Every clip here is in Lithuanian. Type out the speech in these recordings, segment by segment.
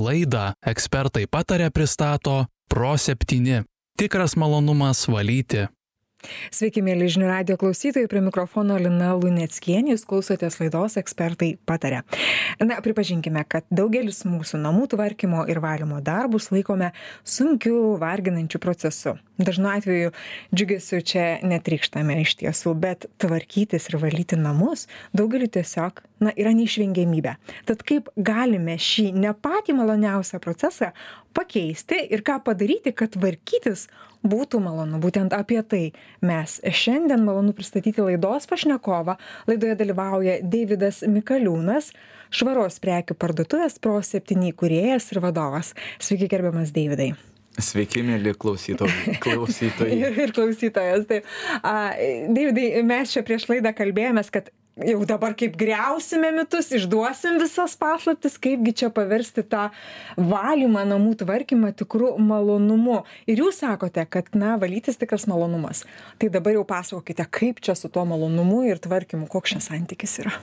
Laidą Ekspertai pataria pristato Pro7. Tikras malonumas valyti. Sveiki, mėly žinių radijo klausytojai, prie mikrofono Lina Luneckienė, jūs klausotės laidos Ekspertai pataria. Na, pripažinkime, kad daugelis mūsų namų tvarkymo ir valymo darbus laikome sunkiu, varginančiu procesu. Dažnu atveju džiugesiu čia netrykštame iš tiesų, bet tvarkytis ir valyti namus daugeliu tiesiog, yra neišvengiamybė. Tad kaip galime šį ne patį maloniausią procesą pakeisti ir ką padaryti, kad tvarkytis būtų malonu. Būtent apie tai mes šiandien malonu pristatyti laidos pašnekovą. Laidoje dalyvauja Deividas Mikaliūnas, švaros prekių parduotuvės Pro7 įkūrėjas ir vadovas. Sveiki, gerbiamas Deividai. Sveiki, mėly klausytojai. ir klausytojas. Taip. Deividai, mes čia prieš laidą kalbėjomės, kad jau dabar kaip griausime mitus, išduosim visas paslaptis, kaipgi čia paversti tą valymą, namų tvarkymą tikrų malonumu. Ir jūs sakote, kad, valytis tikras malonumas. Tai dabar jau pasakokite, kaip čia su tuo malonumu ir tvarkymu, koks čia santykis yra.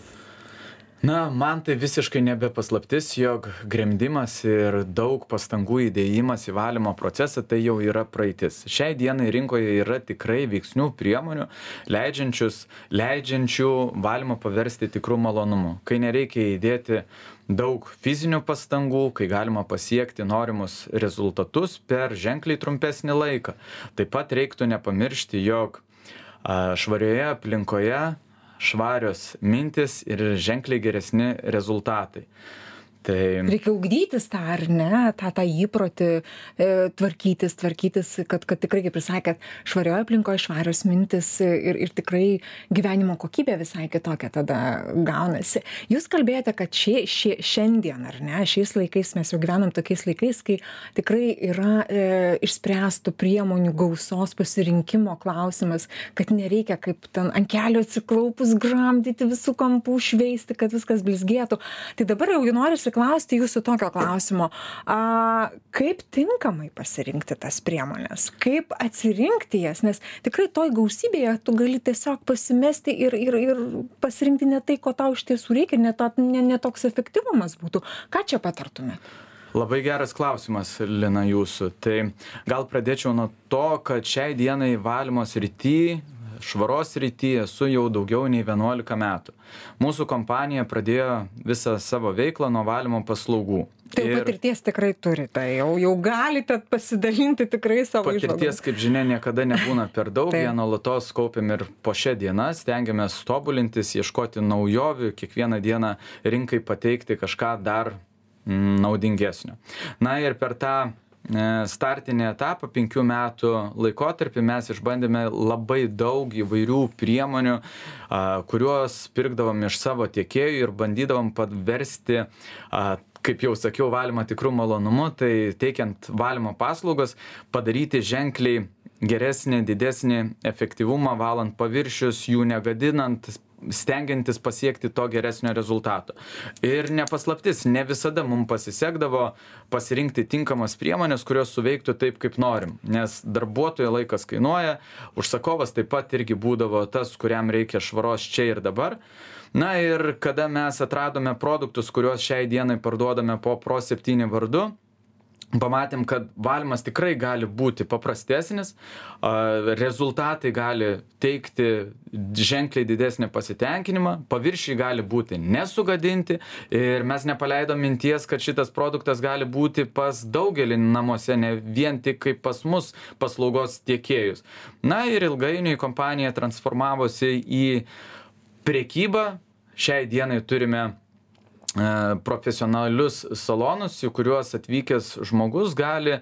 Man tai visiškai nebepaslaptis, jog gremdimas ir daug pastangų įdėjimas į valymo procesą tai jau yra praeitis. Šiai dienai rinkoje yra tikrai veiksnių priemonių, leidžiančių valymą paversti tikrų malonumu. Kai nereikia įdėti daug fizinių pastangų, kai galima pasiekti norimus rezultatus per ženkliai trumpesnį laiką. Taip pat reiktų nepamiršti, jog švarioje aplinkoje švarios mintis ir ženkliai geresni rezultatai. Reikia ugdytis tą, ar ne, tą įprotį, tvarkytis, kad tikrai, kaip jūs sakėt, švarioje aplinkoje švarios mintis ir tikrai gyvenimo kokybė visai kitokia tada gaunasi. Jūs kalbėjote, kad šiandien, ar ne, šiais laikais mes jau gyvenam tokiais laikais, kai tikrai yra išspręstų priemonių gausos pasirinkimo klausimas, kad nereikia kaip ten ant kelio atsiklaupus gramdyti visų kampų, šveisti, kad viskas blizgėtų. Tai dabar jau norisi klausti jūsų tokio klausimo, kaip tinkamai pasirinkti tas priemonės, kaip atsirinkti jas, nes tikrai toj gausybėje tu gali tiesiog pasimesti ir pasirinkti ne tai, ko tau iš tiesų reikia, ne toks efektyvumas būtų. Ką čia patartumėt? Labai geras klausimas, Lina, jūsų. Tai gal pradėčiau nuo to, kad šiai dienai valymo srity, švaros srityje esu jau daugiau nei 11 metų. Mūsų kompanija pradėjo visą savo veiklą nuo valymo paslaugų. Tai patirties tikrai turite, jau galite pasidalinti tikrai savo išvalgomis. Patirties, kaip žinia, niekada nebūna per daug, ją nuolatos kaupiam ir po šią dieną, stengiamės tobulintis, ieškoti naujovių, kiekvieną dieną rinkai pateikti kažką dar naudingesnio. Ir per tą startinį etapą 5 metų laikotarpį mes išbandėme labai daug įvairių priemonių, kuriuos pirkdavom iš savo tiekėjų ir bandydavom paversti, kaip jau sakiau, valymą tikrų malonumu, tai teikiant valymo paslaugas, padaryti ženkliai geresnį, didesnį efektyvumą valant paviršius, jų negadinant, stengiantis pasiekti to geresnio rezultato. Ir nepaslaptis, ne visada mums pasisekdavo pasirinkti tinkamas priemonės, kurios suveiktų taip, kaip norim. Nes darbuotojo laikas kainuoja, užsakovas taip pat irgi būdavo tas, kuriam reikia švaros čia ir dabar. Ir kada mes atradome produktus, kuriuos šiai dienai parduodame po Pro7 vardu, pamatėm, kad valymas tikrai gali būti paprastesnis, rezultatai gali teikti ženkliai didesnį pasitenkinimą, paviršiai gali būti nesugadinti ir mes nepaleidom minties, kad šitas produktas gali būti pas daugelį namuose, ne vien tik kaip pas mus paslaugos tiekėjus. Ir ilgainiui kompanija transformavosi į prekybą. Šiai dienai turime profesionalius salonus, į kuriuos atvykęs žmogus gali,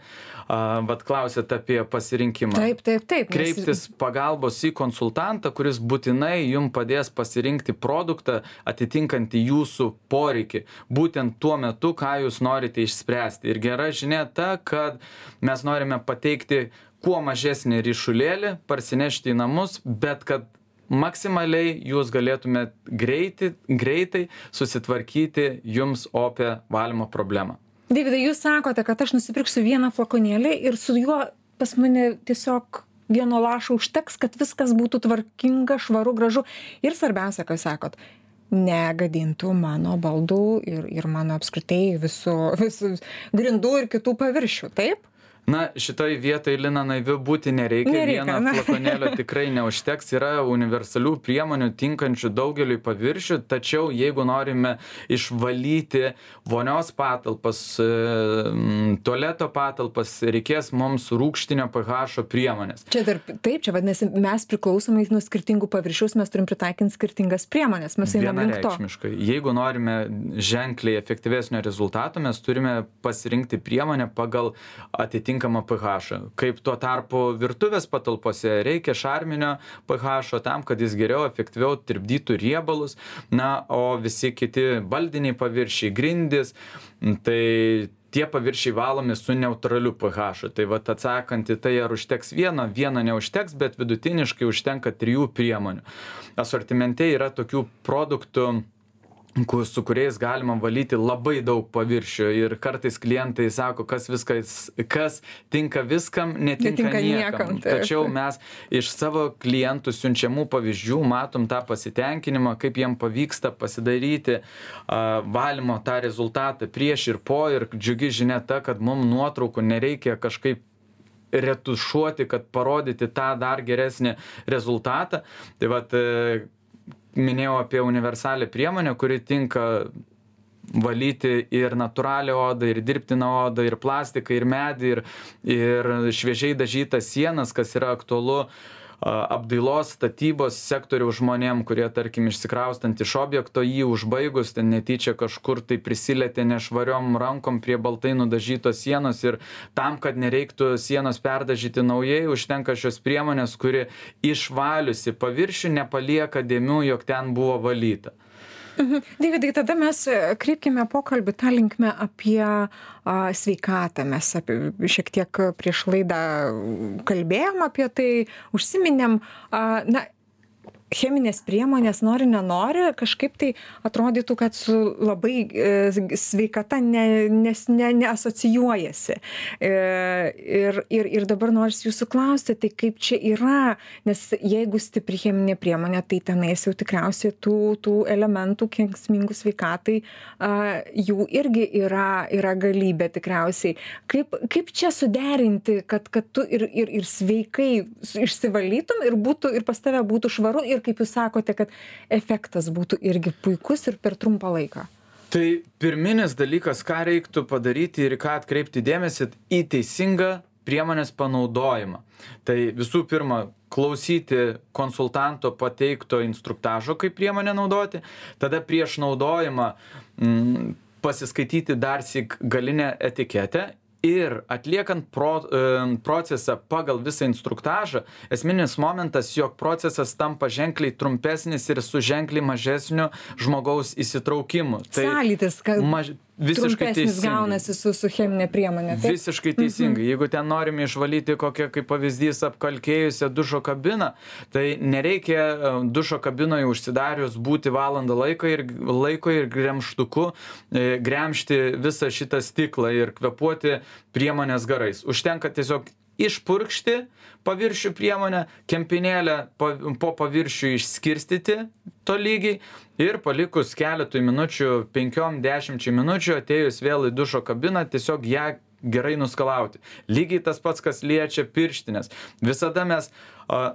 klausėt apie pasirinkimą. Taip. Kreiptis pagalbos į konsultantą, kuris būtinai jums padės pasirinkti produktą atitinkantį jūsų poreikį, būtent tuo metu, ką jūs norite išspręsti. Ir gera žinia ta, kad mes norime pateikti kuo mažesnį ryšulėlį, parsinešti į namus, bet kad maksimaliai jūs galėtumėt greitai susitvarkyti jums opę valymo problemą. Deividai, jūs sakote, kad aš nusipirksiu vieną flakonėlį ir su juo pas mane tiesiog vieno lašo užteks, kad viskas būtų tvarkinga, švaru, gražu. Ir svarbiausia, ką sakot, negadintų mano baldų ir mano apskritai visų grindų ir kitų paviršių, taip? Na, šitoj vietoj, Lina, naiviu būti nereikia. Vieno flakonėlio tikrai neužteks. Yra universalių priemonių tinkančių daugeliui paviršių, tačiau jeigu norime išvalyti vonios patalpas, tualeto patalpas, reikės mums rūgštinio pH priemonės. Čia vadinasi, mes priklausomai nuo skirtingų paviršiaus, mes turim pritaikyti skirtingas priemonės. Mes einame link to. Vienareikšmiškai. Jeigu norime ženkliai efektyvesnio rezultato, mes turime pasirinkti priemonę pagal atitinkamą pH. Kaip tuo tarpu virtuvės patalpose reikia šarminio pH tam, kad jis geriau, efektyviau tirpdytų riebalus. Na, o visi kiti baldiniai paviršiai, grindys, tai tie paviršiai valomi su neutraliu pH. Tai vat atsakant į tai, ar užteks vieno neužteks, bet vidutiniškai užtenka 3 priemonių. Asortimente yra tokių produktų, su kuriais galima valyti labai daug paviršių ir kartais klientai sako, kas tinka viskam, netinka niekam. Tačiau mes iš savo klientų siunčiamų pavyzdžių matom tą pasitenkinimą, kaip jiem pavyksta pasidaryti valymo tą rezultatą prieš ir po, ir džiugi žinia ta, kad mums nuotraukų nereikia kažkaip retušuoti, kad parodyti tą dar geresnį rezultatą. Tai vat minėjau apie universalią priemonę, kuri tinka valyti ir natūralią odą, ir dirbtiną odą, ir plastiką, ir medį, ir šviežiai dažytas sienas, kas yra aktualu apdailos statybos sektoriaus žmonėm, kurie, tarkim, išsikraustant iš objekto, jį užbaigus, ten netyčia kažkur tai prisilietė nešvariom rankom prie baltai nudažytos sienos, ir tam, kad nereiktų sienos perdažyti naujai, užtenka šios priemonės, kuri išvaliusi paviršių nepalieka dėmių, jog ten buvo valyta. Deividai, tada mes kreipkime pokalbį tą linkmę apie sveikatą. Mes šiek tiek prieš laidą kalbėjom apie tai, užsiminėm. Cheminės priemonės, nenori, kažkaip tai atrodytų, kad su labai sveikata neasocijuojasi. Ir dabar nors jūsų klausti, tai kaip čia yra, nes jeigu stipri cheminė priemonė, tai tenais jau tikriausiai tų elementų kenksmingų sveikatai jų irgi yra galybė tikriausiai. Kaip čia suderinti, kad tu ir sveikai išsivalytum ir pas tave būtų švaru, ir kaip jūs sakote, kad efektas būtų irgi puikus ir per trumpą laiką? Tai pirminis dalykas, ką reiktų padaryti ir ką atkreipti dėmesį, į teisingą priemonės panaudojimą. Tai visų pirma, klausyti konsultanto pateikto instruktažo, kaip priemonę naudoti, tada prieš naudojimą pasiskaityti darsyk galinę etiketę. Ir atliekant procesą pagal visą instruktažą, esminis momentas, jog procesas tampa ženkliai trumpesnis ir su ženkliai mažesniu žmogaus įsitraukimu. Sąlytis, kad visiškai trumpesnis gaunasi su cheminė priemonė. Taip? Visiškai teisingai. Jeigu ten norime išvalyti kokią, kaip pavyzdys, apkalkėjusią dušo kabiną, tai nereikia dušo kabinoje užsidarius būti valandą laiko ir gremžtuku gremžti visą šitą stiklą ir kvėpuoti priemonės garais. Užtenka tiesiog išpurkšti paviršių priemonę, kempinėlę po paviršių išskirstyti tolygiai ir palikus keletui minučių, 5-10 minučių, atėjus vėl į dušo kabiną, tiesiog ją gerai nuskalauti. Lygiai tas pats, kas liečia pirštinės. Visada mes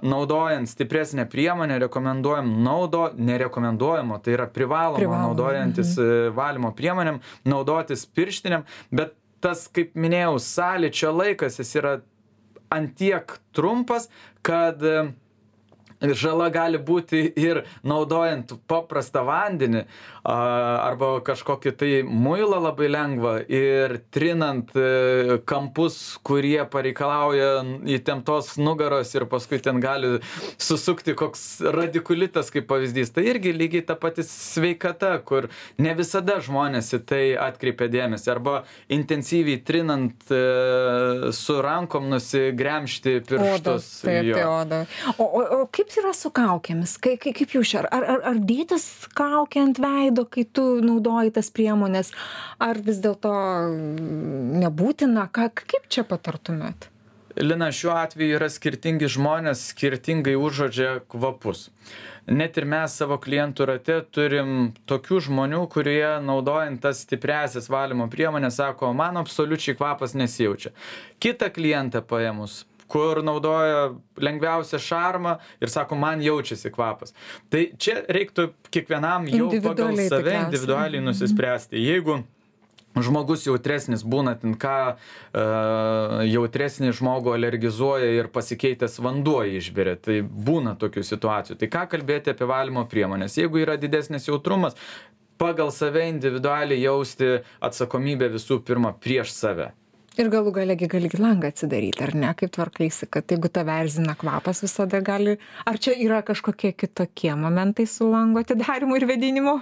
naudojant stipresnę priemonę nerekomenduojamo, tai yra privaloma naudojantis valymo priemonėm, naudotis pirštinėm, bet tas, kaip minėjau, sąlyčio laikas, jis yra antiek trumpas, kad žala gali būti ir naudojant paprastą vandenį arba kažkokį tai muilą labai lengvą ir trinant kampus, kurie pareikalauja įtemptos nugaros ir paskui ten gali susukti koks radikulitas kaip pavyzdys. Tai irgi lygiai ta pati sveikata, kur ne visada žmonės į tai atkreipia dėmesį. Arba intensyviai trinant su rankom nusigremžti pirštus. Oda. O kaip yra su kaukėmis? Kaip jūs čia? Ar dėtis kaukė ant veido, kai tu naudoji tas priemonės? Ar vis dėlto nebūtina? Kaip čia patartumėt? Lina, šiuo atveju yra skirtingi žmonės, skirtingai užuodžia kvapus. Net ir mes savo klientų rate turim tokių žmonių, kurie naudojant tas stipriasias valymo priemonės sako, man absoliučiai kvapas nesijaučia. Kitą klientą paėmus, kur naudoja lengviausią šarmą ir sako, man jaučiasi kvapas. Tai čia reiktų kiekvienam jau pagal save individualiai nusispręsti. Jeigu žmogus jautresnis būna, jautresnį žmogų alergizuoja ir pasikeitęs vanduo išberia, tai būna tokių situacijų. Tai ką kalbėti apie valymo priemonės? Jeigu yra didesnis jautrumas, pagal save individualiai jausti atsakomybę visų pirma prieš save. Ir galų galegi gali langą atsidaryti, ar ne, kaip tvarkaisi, kad jeigu tave erzina kvapas visada gali, ar čia yra kažkokie kitokie momentai su lango atidarimu ir vedinimu?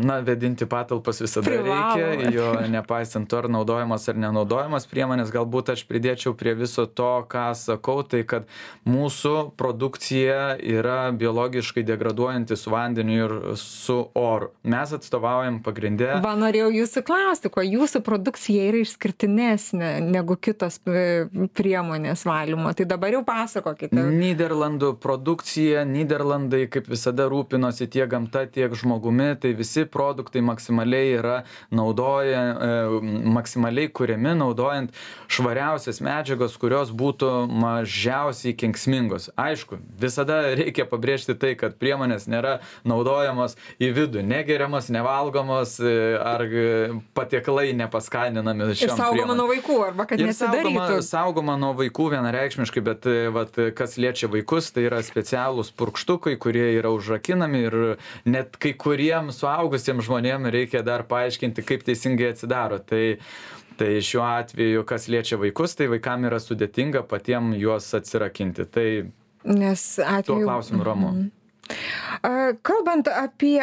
Na, vedinti patalpas visada reikia, jo nepaisant to ar naudojamas ar nenaudojamas priemonės, galbūt aš pridėčiau prie viso to, ką sakau, tai kad mūsų produkcija yra biologiškai degraduojanti su vandeniu ir su oru. Mes atstovaujam pagrindę. Va, norėjau jūsų klausti, kuo jūsų produkcija yra išskirtinė negu kitos priemonės valymo. Tai dabar jau pasakokite. Nyderlandų produkcija, Nyderlandai kaip visada rūpinosi tiek gamta, tiek žmogumi, tai visi produktai maksimaliai yra maksimaliai kuriami naudojant švariausias medžiagos, kurios būtų mažiausiai kenksmingos. Aišku, visada reikia pabrėžti tai, kad priemonės nėra naudojamos į vidų, negeriamos, nevalgomos ar patiekalai nepaskaninami šiom priemonėm. Vaikų, arba kad nesidarytų. Saugoma nuo vaikų vienareikšmiškai, bet kas liečia vaikus, tai yra specialūs purkštukai, kurie yra užrakinami ir net kai kuriems suaugusiems žmonėms reikia dar paaiškinti, kaip teisingai atsidaro. Tai šiuo atveju, kas liečia vaikus, tai vaikam yra sudėtinga patiem juos atsirakinti. Tai tuo klausimu ramu. Kalbant apie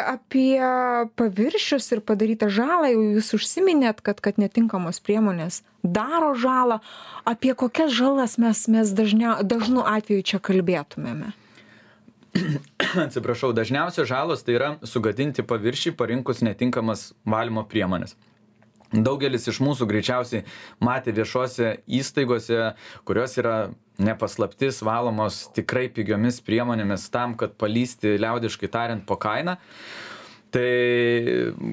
paviršius ir padarytą žalą, jau jūs užsiminėt, kad netinkamos priemonės daro žalą. Apie kokias žalas mes dažnu atveju čia kalbėtumėme? Atsiprašau, dažniausios žalos tai yra sugadinti paviršiai parinkus netinkamas valymo priemonės. Daugelis iš mūsų greičiausiai matė viešose įstaigose, kurios yra nepaslaptis valomos tikrai pigiomis priemonėmis tam, kad palysti liaudiškai tariant po kainą. Tai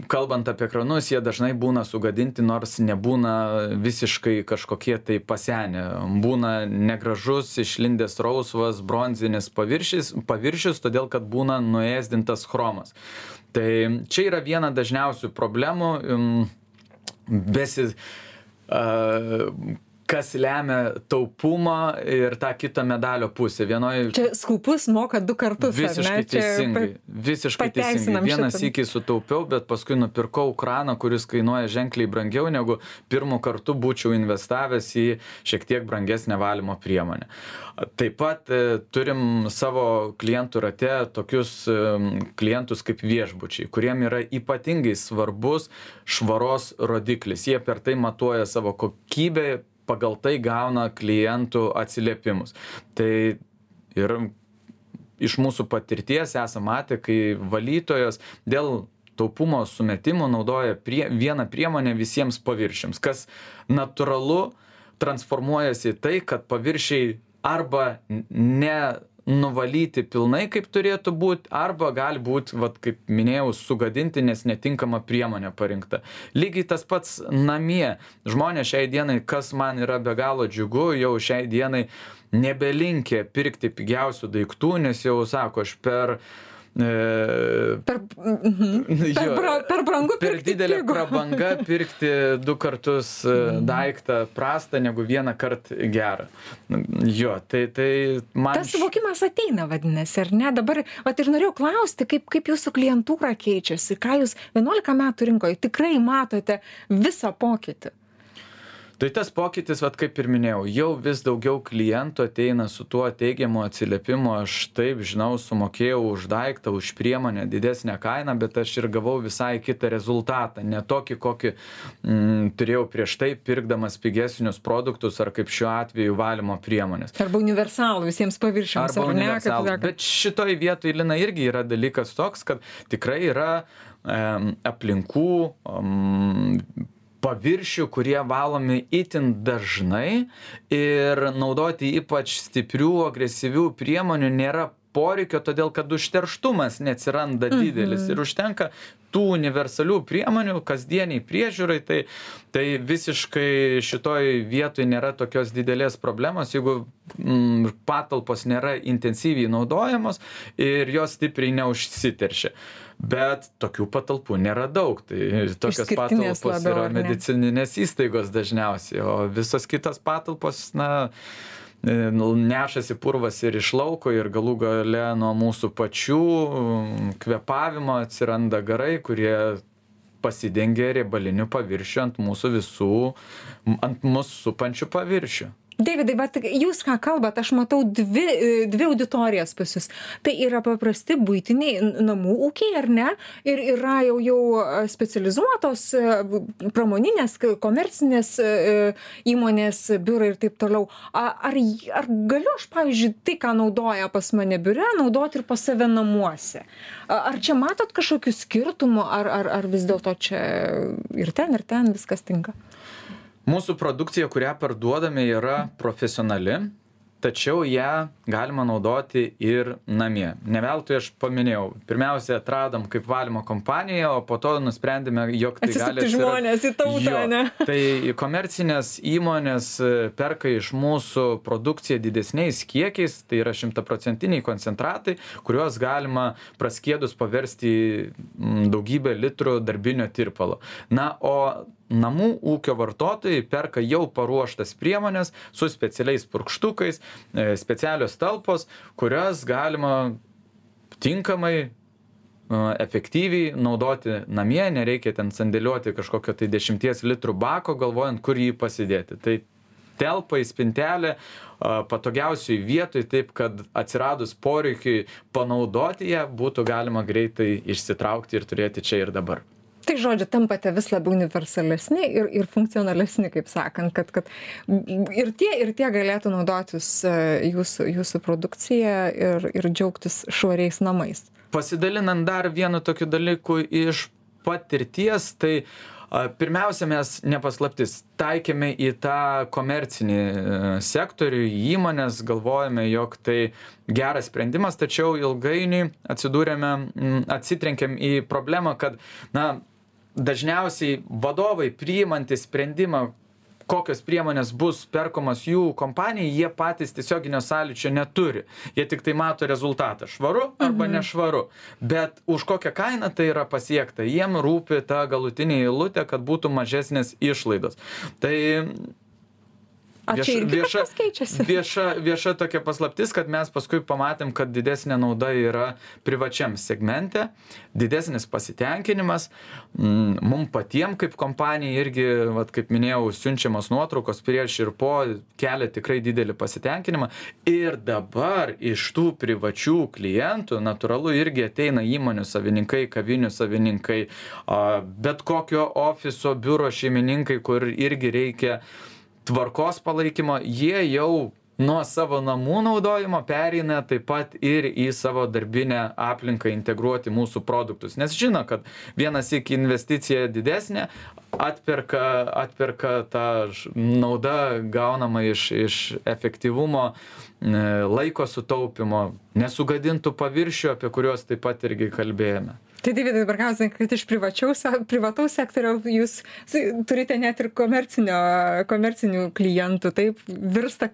kalbant apie kranus, jie dažnai būna sugadinti, nors nebūna visiškai kažkokie tai pasenę. Būna negražus, išlindęs rausvas, bronzinis paviršius, todėl kad būna nuėsdintas chromas. Tai čia yra viena dažniausių problemų. Kas lemia taupumą ir tą kitą medalio pusę. Čia skupus moka 2 kartus. Visiškai teisingai. Visiškai teisingai. Vienas sykį sutaupiau, bet paskui nupirkau kraną, kuris kainuoja ženkliai brangiau, negu pirmu kartu būčiau investavęs į šiek tiek brangesnę valymo priemonę. Taip pat turim savo klientų rate tokius klientus kaip viešbučiai, kuriem yra ypatingai svarbus švaros rodiklis. Jie per tai matuoja savo kokybę, pagal tai gauna klientų atsiliepimus. Tai ir iš mūsų patirties esame matę, kai valytojos dėl taupumo sumetimų naudoja vieną priemonę visiems paviršiams, kas natūralu transformuojasi į tai, kad paviršiai arba nenuvalyti pilnai, kaip turėtų būti, arba gali būti, kaip minėjau, sugadinti, nes netinkama priemonė parinkta. Lygiai tas pats namie. Žmonės šiai dienai, kas man yra be galo džiugu, jau šiai dienai nebelinkė pirkti pigiausių daiktų, nes jau sako, aš per brangu per didelę prabangą pirkti 2 kartus daiktą prastą negu 1 kartą gerą. Jo, tai man... Tas suvokimas ateina, vadinasi, ar ne? Dabar, ir norėjau klausti, kaip jūsų klientūra keičiasi, ką jūs 11 metų rinkoje tikrai matote visą pokytį. Tai tas pokytis, kaip ir minėjau, jau vis daugiau klientų ateina su tuo teigiamu atsiliepimu, aš taip, žinau, sumokėjau už daiktą, už priemonę didesnę kainą, bet aš ir gavau visai kitą rezultatą, ne tokį, kokį turėjau prieš tai, pirkdamas pigesnius produktus, ar kaip šiuo atveju valymo priemonės. Arba universalų visiems paviršiams, ar ne? Bet šitoj vietoj, Lina, irgi yra dalykas toks, kad tikrai yra aplinkų, paviršių, kurie valomi itin dažnai ir naudoti ypač stiprių, agresyvių priemonių nėra poreikio, todėl kad užterštumas neatsiranda didelis ir užtenka tų universalių priemonių kasdieniai priežiūrai, tai visiškai šitoj vietoj nėra tokios didelės problemos, jeigu patalpos nėra intensyviai naudojamos ir jos stipriai neužsiteršia. Bet tokių patalpų nėra daug, tai tokios patalpos yra medicininės įstaigos dažniausiai, o visos kitos patalpos, nešasi purvas ir iš lauko ir galų gale nuo mūsų pačių kvėpavimo atsiranda garai, kurie pasidengia riebaliniu paviršiu ant mūsų supančių paviršių. Deividai, bet jūs ką kalbat, aš matau dvi auditorijas pas jūs. Tai yra paprasti buitiniai namų ūkiai, ar ne? Ir yra jau specializuotos pramoninės, komercinės įmonės, biurai ir taip toliau. Ar galiu aš, pavyzdžiui, tai, ką naudoja pas mane biure, naudoti ir pas save namuose? Ar čia matot kažkokių skirtumų, ar vis dėlto čia ir ten viskas tinka? Mūsų produkcija, kurią parduodame, yra profesionali, tačiau ją galima naudoti ir namie. Ne veltui aš paminėjau, pirmiausia atradom kaip valymo kompaniją, o po to nusprendėme, jog tai gali žmonės į tautą, ne? Tai komercinės įmonės perka iš mūsų produkciją didesniais kiekiais, tai yra 100% koncentratai, kuriuos galima praskiedus paversti daugybę litrų darbinio tirpalo. O namų ūkio vartotojai perka jau paruoštas priemonės su specialiais purkštukais, specialios talpos, kurias galima tinkamai, efektyviai naudoti namie, nereikia ten sandėliuoti kažkokio tai 10 litrų bako, galvojant, kur jį pasidėti. Tai telpa į spintelę patogiausiai vietoj, taip kad atsiradus poreikiui panaudoti ją, būtų galima greitai išsitraukti ir turėti čia ir dabar. Tai žodžiu, tampate vis labiau universalesni ir funkcionalesni, kaip sakant, kad ir tie galėtų naudotis jūsų produkciją ir džiaugtis švariais namais. Pasidalinant dar vienu tokiu dalyku iš patirties, tai pirmiausia, mes nepaslaptis taikėme į tą komercinį sektorių, į įmonės, galvojame, jog tai geras sprendimas, tačiau ilgainiui atsitrenkėm į problemą, kad, dažniausiai vadovai priimantys sprendimą, kokios priemonės bus perkamos jų kompanijai, jie patys tiesioginio sąlyčio neturi. Jie tik tai mato rezultatą, švaru arba nešvaru. Bet už kokią kainą tai yra pasiekta, jiem rūpi ta galutinė eilutė, kad būtų mažesnės išlaidos. Tai vieša tokia paslaptis, kad mes paskui pamatėm, kad didesnė nauda yra privačiam segmente, didesnis pasitenkinimas. Mum patiem kaip kompanijai irgi, kaip minėjau, siunčiamos nuotraukos prieš ir po kelia tikrai didelį pasitenkinimą. Ir dabar iš tų privačių klientų, natūralu, irgi ateina įmonių savininkai, kavinių savininkai, bet kokio ofiso, biuro šeimininkai, kur irgi reikia tvarkos palaikymo, jie jau nuo savo namų naudojimo pereina taip pat ir į savo darbinę aplinką integruoti mūsų produktus. Nes žino, kad vienas iki investicija didesnė, atperka tą naudą gaunama iš efektyvumo, laiko sutaupimo, nesugadintų paviršių, apie kuriuos taip pat irgi kalbėjome. Tai Deividai, dabar klausiu, kad iš privataus sektoriaus jūs turite net ir komercinių klientų, taip virsta,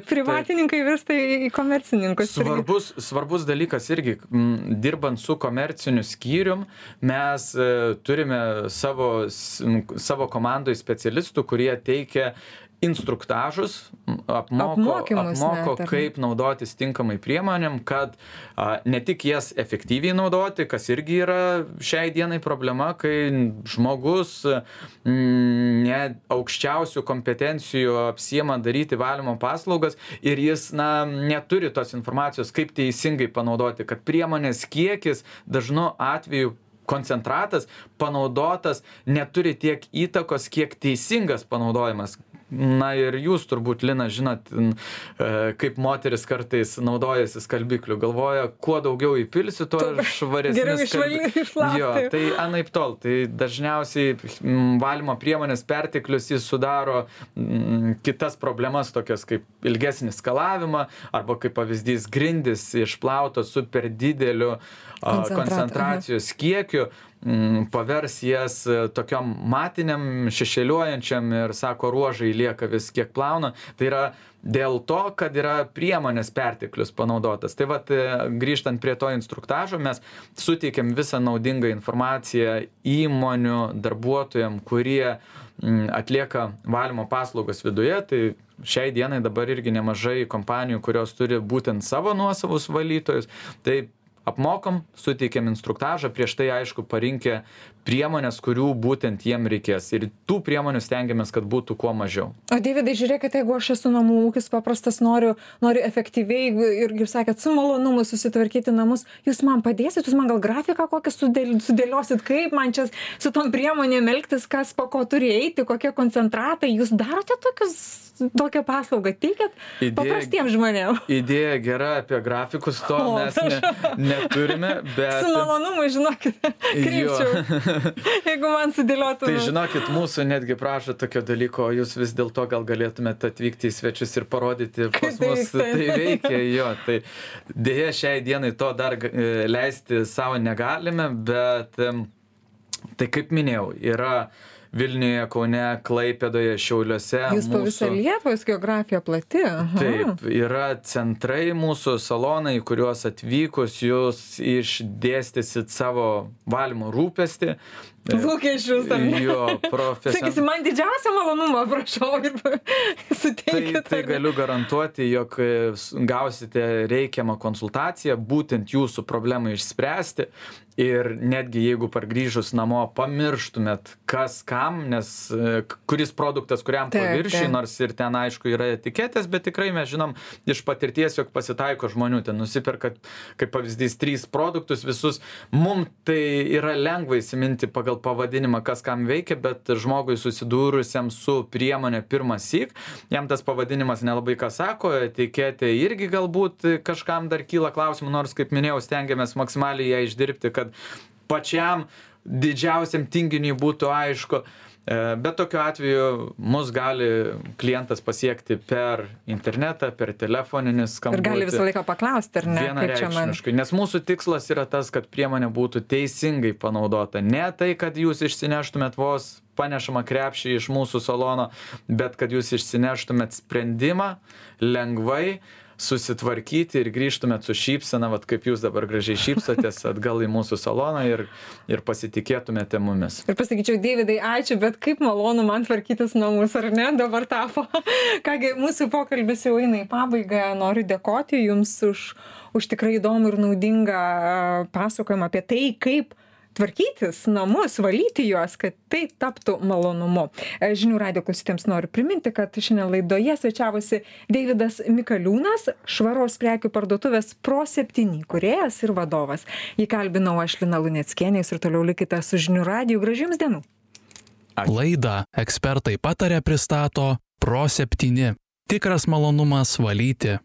privatininkai virsta į komercininkus. Svarbus dalykas irgi, dirbant su komerciniu skyrium, mes turime savo komandoje specialistų, kurie teikia instruktažus, apmoko kaip naudotis tinkamai priemonėm, kad ne tik jas efektyviai naudoti, kas irgi yra šiai dienai problema, kai žmogus ne aukščiausių kompetencijų apsiema daryti valymo paslaugas ir jis neturi tos informacijos, kaip teisingai panaudoti, kad priemonės kiekis dažnu atveju koncentratas, panaudotas, neturi tiek įtakos, kiek teisingas panaudojimas. na ir jūs turbūt, Lina, žinot, kaip moteris kartais naudojasi skalbikliu, galvoja, kuo daugiau įpilsi, tuo švaresnis skalbiklis. Jo, tai anaip tol, tai dažniausiai valymo priemonės perteklius jis sudaro kitas problemas, tokias kaip ilgesnį skalavimą, arba kaip pavyzdys grindis išplautos su per dideliu koncentracijos kiekiu, pavers jas tokiom matiniam, šešėliuojančiam ir sako, ruožai lieka vis kiek plauna. Tai yra dėl to, kad yra priemonės perteklius panaudotas. Tai vat, grįžtant prie to instruktažo, mes suteikiam visą naudingą informaciją įmonių darbuotojams, kurie atlieka valymo paslaugas viduje. Tai šiai dienai dabar irgi nemažai kompanijų, kurios turi būtent savo nuosavus valytojus. Tai apmokom, suteikiam instruktažą, prieš tai aišku parinkę priemonės, kurių būtent jiem reikės. Ir tų priemonių stengiamės, kad būtų kuo mažiau. O Deividai, žiūrėkite, jeigu aš esu namų ūkis paprastas, noriu efektyviai ir, kaip sakėt, su malonumu susitvarkyti namus, jūs man padėsit, jūs man gal grafiką kokią sudėliosit, kaip man čia su tom priemonėm elgtis, kas po ko turi eiti, kokie koncentratai, jūs darote tokią paslaugą, teikiat paprastiems žmonėms. Idėja gera, apie grafikus to mes neturime, bet... Su malonumu, žinokit, krypčiau. Jeigu man sudėliotų. Tai žinokit, mūsų netgi prašo tokio dalyko, jūs vis dėlto gal galėtumėte atvykti į svečius ir parodyti pas mus, tai veikia, jo. Tai dėja šiai dienai to dar leisti savo negalime, bet tai kaip minėjau, yra Vilniuje, Kaune, Klaipėdoje, Šiauliuose. Jūs po visą Lietuvos geografija plati. Aha. Taip, yra centrai mūsų salonai, kuriuos atvykus jūs išdėstysit savo valymo rūpestį. Lūkesčius, ar ne? Jo, Sakysi, man didžiausią malonumą, prašau, ir suteikit. Tai galiu garantuoti, jog gausite reikiamą konsultaciją, būtent jūsų problemą išspręsti. Ir netgi jeigu pargrįžus namo pamirštumėt, kas kam, nes kuris produktas kuriam paviršiui, nors ir ten aišku yra etiketės, bet tikrai mes žinom iš patirties, jog pasitaiko žmonių, ten nusiperka, kaip pavyzdys, 3 produktus visus. Mums tai yra lengva įsiminti pagal pavadinimą, kas kam veikia, bet žmogui susidūrusiam su priemonė pirmąsyk, jam tas pavadinimas nelabai ką sako, etiketė irgi galbūt kažkam dar kyla klausimų, nors, kaip minėjau, stengiamės maksimaliai ją išdirbti, kad pačiam didžiausiam tinginiui būtų aišku. Bet tokiu atveju mus gali klientas pasiekti per internetą, per telefoninį skambutį. Ir gali visą laiką paklausti, ar ne? Vienareikšmiškai, nes mūsų tikslas yra tas, kad priemonė būtų teisingai panaudota. Ne tai, kad jūs išsineštumėt vos panešamą krepšį iš mūsų salono, bet kad jūs išsineštumėt sprendimą lengvai, susitvarkyti ir grįžtumėt su šypsena, vat kaip jūs dabar gražiai šypsotės atgal į mūsų saloną ir pasitikėtumėte mumis. Ir pasakyčiau, Deividai, ačiū, bet kaip malonu man tvarkytis namus, ar ne, dabar tapo. Kągi, mūsų pokalbis jau eina į pabaigą, noriu dėkoti Jums už tikrai įdomų ir naudingą pasakojimą apie tai, kaip tvarkytis namus, valyti juos, kad tai taptų malonumu. Žinių radijo klausytėms noriu priminti, kad šiandien laidoje svečiavosi Deividas Mikaliūnas, švaros prekių parduotuvės Pro7 kūrėjas ir vadovas. Jį kalbinau aš, Lina Luneckienė, ir toliau likite su Žinių radiju. Gražių Jums dienų. Laidą ekspertai pataria pristato Pro7. Tikras malonumas valyti.